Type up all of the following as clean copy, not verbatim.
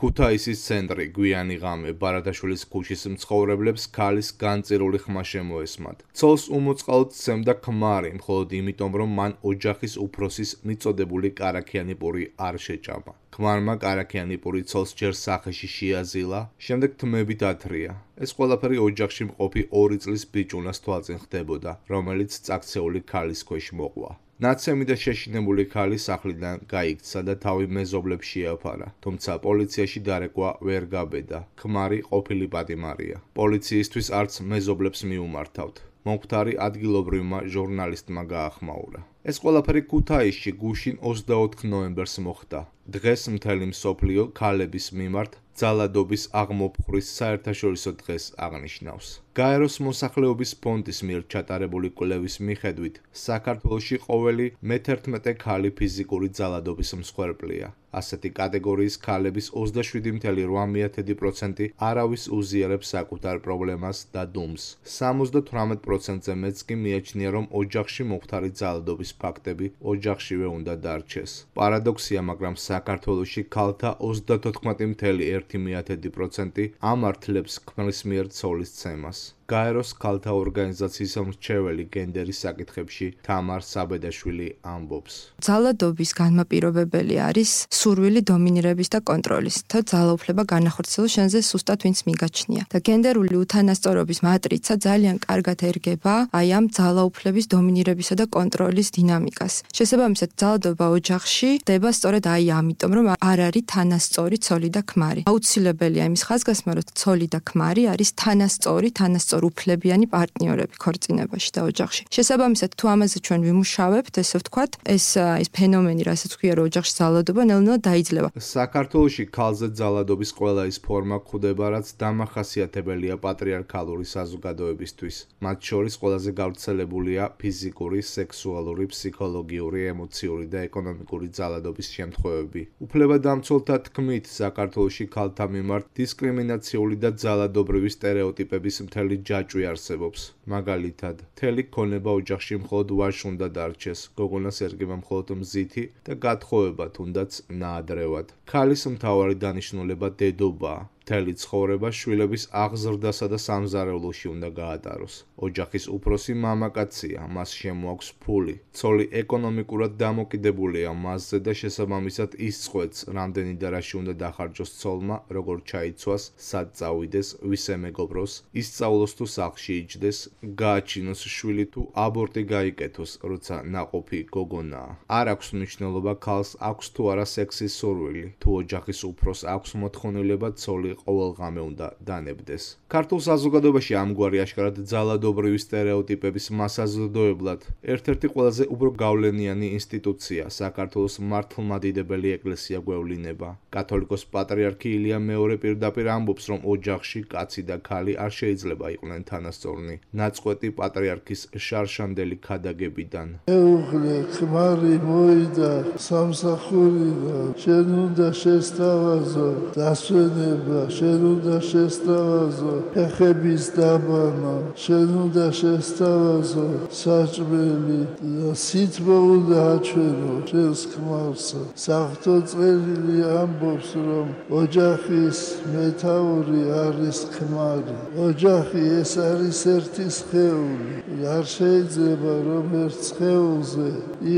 ქუთაისის ცენტრი გვიანი ღამე ბარათაშვილის ქუჩის მცხოვრებლებს ქალის განწირული ხმა შემოესმათ. ცოლს უმოწყალოდ სცემდა ქმარი, მხოლოდ იმიტომ, რომ მან ოჯახის უფროსის მიწოდებული კარაქიანი პური არ შეჭამა. ქმარმა კარაქიანი პური ცოლს ჯერ სახეში შეაზილა, შემდეგ თმებით ათრია. ეს ყველაფერი ოჯახში მყოფი 2 წლის ბიჭუნას თვალწინ ხდებოდა, რომელიც წაქცეული ქალის ქვეშ მოყვა. ნაცემი და შეშინებული ქალი სახლიდან გაიქცა და თავი მეზობლებს შეაფარა, თუმცა პოლიციაში დარეკვა ვერ გაბედა. ქმარი ყოფილი პატიმარია. პოლიციისთვის არც მეზობლებს მიუმართავთ. მომხდარი ადგილობრივმა ჟურნალისტმა გაახმაურა. ეს ყველაფერი ქუთაისში გუშინ 24 ნოემბერს მოხდა. დღეს მთელი მსოფლიო ქალების მიმართ ძალადობის აღმოფხვრის საერთაშორისო დღეს აღნიშნავს. გაეროს მოსახლეობის ფონდის მიერ ჩატარებული კვლევის მიხედვით, საქართველოში ყოველი მე-11 ქალი ფიზიკური ძალადობის მსხვერპლია. ასეთი კატეგორიის ქალების 27,8% არავის უზიარებს საკუთარ პრობლემას და დუმს. 78%-ზე მეც კი მიაჩნია, რომ ოჯახში მომხდარი ძალადობის ფაქტები ოჯახშივე უნდა დარჩეს. პარადოქსია, მაგრამ საქართველოში ქალთა 34,1% ამართლებს ქმრის მიერ ცოლის ცემას. გაეროს ქალთა ორგანიზაციის მრჩეველი გენდერის საკითხებში თამარ საბედაშვილი ამბობს. ძალადობის განმაპირობებელი არის სურვილი დომინირების და კონტროლის, თუ ძალაუფლება განახორციელოს შენზე სუსტად ვინც მიგაჩნია. და გენდერული უთანასწორობის მატრიცა ძალიან კარგად ერგება აი ამ ძალაუფლების, დომინირებისა და კონტროლის დინამიკას. შესაბამისად, ძალადობა ოჯახში ხდება სწორედ აი ამიტომ, რომ არ არის თანასწორი ცოლი და ქმარი. აუცილებელია იმის ხაზგასმა, რომ ცოლი და ქმარი არის თანასწორი უფლებიანი პარტნიორები ქორწინებაში და ოჯახში. შესაბამისად, თუ ამაზე ჩვენ ვიმუშავებთ, ესე ვთქვათ, ეს ფენომენი, რასაც ქვია, რომ ოჯახში ძალადობა ნელ-ნელა დაიძლება. საქართველოში ქალზე ძალადობის ყველა ის ფორმა გვხვდება, რაც დამახასიათებელია პატრიარქალური საზოგადოებისთვის. მათ შორის ყველაზე გავრცელებულია ფიზიკური, სექსუალური, ფსიქოლოგიური, ემოციური და ეკონომიკური ძალადობის შემთხვევები. უფლებადამცველთა თქმით, საქართველოში ქალთა მიმართ დისკრიმინაციული და ძალადობრივი სტერეოტიპების მთელი ჯაჭვი არსებობს. მაგალითად, მთელი ქონება ოჯახში მხოლოდ ვაჟს უნდა დარჩეს, გოგონას ერგება მხოლოდ მზითი და გათხოვება თუნდაც ნაადრევად. ქალის მთავარი დანიშნულება დედობაა. მთელი ცხოვრება შვილების აღზრდასა და სამზარეულოში უნდა გაატაროს. ოჯახის უფროსი მამაკაცია, მას შემოაქვს ფული. ცოლი ეკონომიკურად დამოკიდებულია მასზე და შესაბამისად ის წყვეტს, რამდენი და რაში უნდა დახარჯოს ცოლმა, როგორ ჩაიცვას, სად წავიდეს, ვის ემეგობროს, ისწავლოს თუ სახლში იჯდეს, გააჩინოს შვილი თუ აბორტი გაიკეთოს, როცა ნაყოფი გოგონაა. არ აქვს მნიშვნელობა ქალს აქვს თუ არა სექსის სურვილი, თუ ოჯახის უფროს აქვს მოთხოვნილება ცოლი ყოველ ღამე უნდა დანებდეს. ქართულ საზოგადოებაში ამგვარი აშკარად ძალადობრივი სტერეოტიპების მასაზრდოებლად ერთ-ერთი ყველაზე უბრალგავლენიანი ინსტიტუცია საქართველოს მართლმადიდებელი ეკლესია გვევლინება. კათოლიკოს პატრიარქი ილია მეორე პირდაპირ ამბობს, რომ ოჯახში კაცი და ქალი არ შეიძლება იყვნენ თანასწორნი. ნაწყვეტი პატრიარქის შარშანდელი ქადაგებიდან. ეუღლე ქმარი მოიდა სამსახურიდან, შენ უნდა შესთავაზო დასვენება, შენ უნდა შესთავაზო ფეხების დაბანა, შენ უნდა შესთავაზო საჭმელი და სითბო უნდა აჩვენო შენს ქმარსა. საღვთო წერილი ამბობს, რომ ოჯახის მეთაური არის ქმარი. ოჯახი ეს არის ერთი სხეული. არ შეიძლება რომ ერთ სხეულზე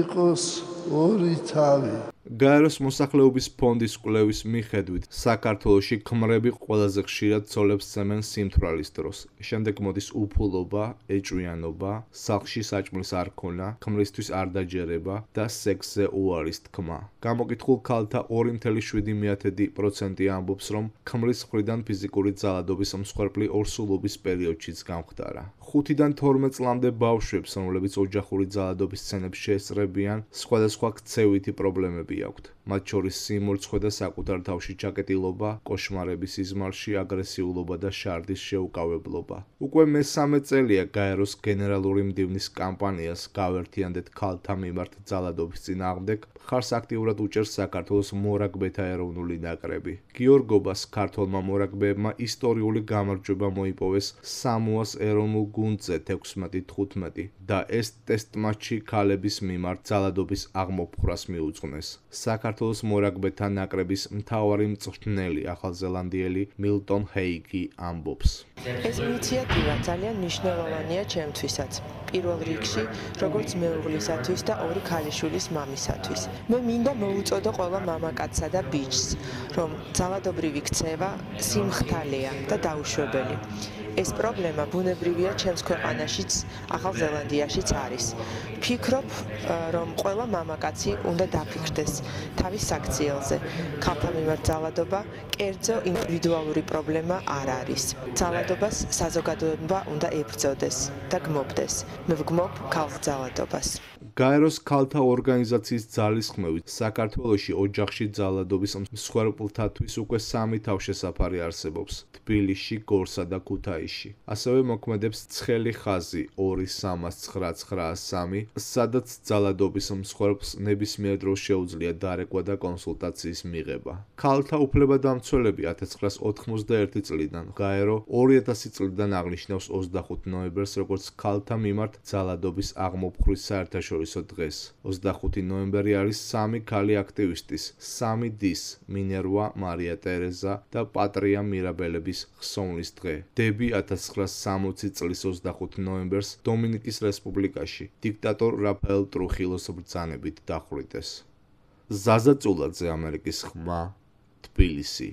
იყოს 2 თავი. გაეროს მოსახლეობის ფონდის კვლევის მიხედვით, საქართველოში ქმრები ყველაზე ხშირად ცოლებს სცემენ სიმთვრალის დროს. შემდეგ მოდის უფულობა, ეჭვიანობა, სახლში საჭმლის არ ქონა, ქმრისთვის არ დაჯერება და სექსზე უარის თქმა. გამოკითხულ ქალთა 2,7% ამბობს, რომ ქმრის მხრიდან ფიზიკური ძალადობის მსხვერპლი ორსულობის პერიოდშიც გამხდარა. 5-დან 12 წლამდე ბავშვებს, რომლებიც ოჯახური ძალადობის სცენებს შეესწრებიან, სხვადასხვა ქცევითი პრობლემები აქვთ. მათ შორის სიმორცხვე და საკუთარ თავში ჩაკეტილობა, კოშმარების სიზმარში, აგრესიულობა და შარდის შეუკავებლობა. უკვე მე-3 წელია გაეროს გენერალური მდივნის კამპანიას გავერთიანდეთ ქალთა მიმართ ძალადობის წინააღმდეგ, მხარს აქტიურად უჭერს საქართველოს მორაგბეთა ეროვნული ნაკრები. გიორგობას ქართველმა მორაგბეებმა ისტორიული გამარჯვება მოიპოვეს სამოას ეროვნულ გუნდზე 16-15 და ეს ტესტ მატჩი ქალების მიმართ ძალადობის აღმოფხვრას მიუძღვნეს. საქართველოს საქართველოს მორაგბეთა ნაკრების მთავარი მწვრთნელი ახალზელანდიელი მილტონ ჰეიგი ამბობს. ეს ინიციატივა ძალიან მნიშვნელოვანია ჩემთვისაც. პირველ რიგში, როგორც მეუღლისათვის და ორი ქალიშვილის მამისათვის. მე მინდა მოუწოდო ყველა მამაკაცსა და ბიჭს, რომ ძალადობრივი ქცევა სიმხთალეა და დაუშვებელი. ეს პრობლემა ბუნებრივია ჩემს ქვეყანაშიც, ახალზელანდიაშიც არის. ვფიქრობ, რომ ყველა მამაკაცი უნდა დაფიქრდეს თავის საქციელზე. ქალთა მიმართ ძალადობა კერძო ინდივიდუალური პრობლემა არ არის. ძალადობას საზოგადოება უნდა ებრძოდეს და გმობდეს. მე ვგმობ ქალ ძალადობას. გაეროს ქალთა ორგანიზაციის ძალისხმევით საქართველოში ოჯახში ძალადობის მსხვერპლთათვის უკვე 3 თავშესაფარი არსებობს თბილისში, გორსა და ქუთაისში. ასევე მოქმედებს ცხელი ხაზი 23993, სადაც ძალადობის მსხვერპლს ნებისმიერ დროს შეუძლია დარეკვა და კონსულტაციის მიღება. ქალთა უფლებადამცველები 1991 წლიდან, გაერო 2000 წლიდან აღნიშნავს 25 ნოემბერს როგორც ქალთა მიმართ ძალადობის აღმოფხვრის საერთაშორისო დღეს. 25 ნოემბერი არის 3 ქალი აქტივისტის, 3 დის, მინერვა, მარია ტერეზა და პატრია მირაბელების ხსოვნის დღე. დები 1960 წლის 25 ნოემბერს დომინიკის რესპუბლიკაში დიქტატორ რაფაელ ტრუხილოს ბრძანებით დახვრიტეს. ზაზა წულაძე, ამერიკის ხმა, თბილისი.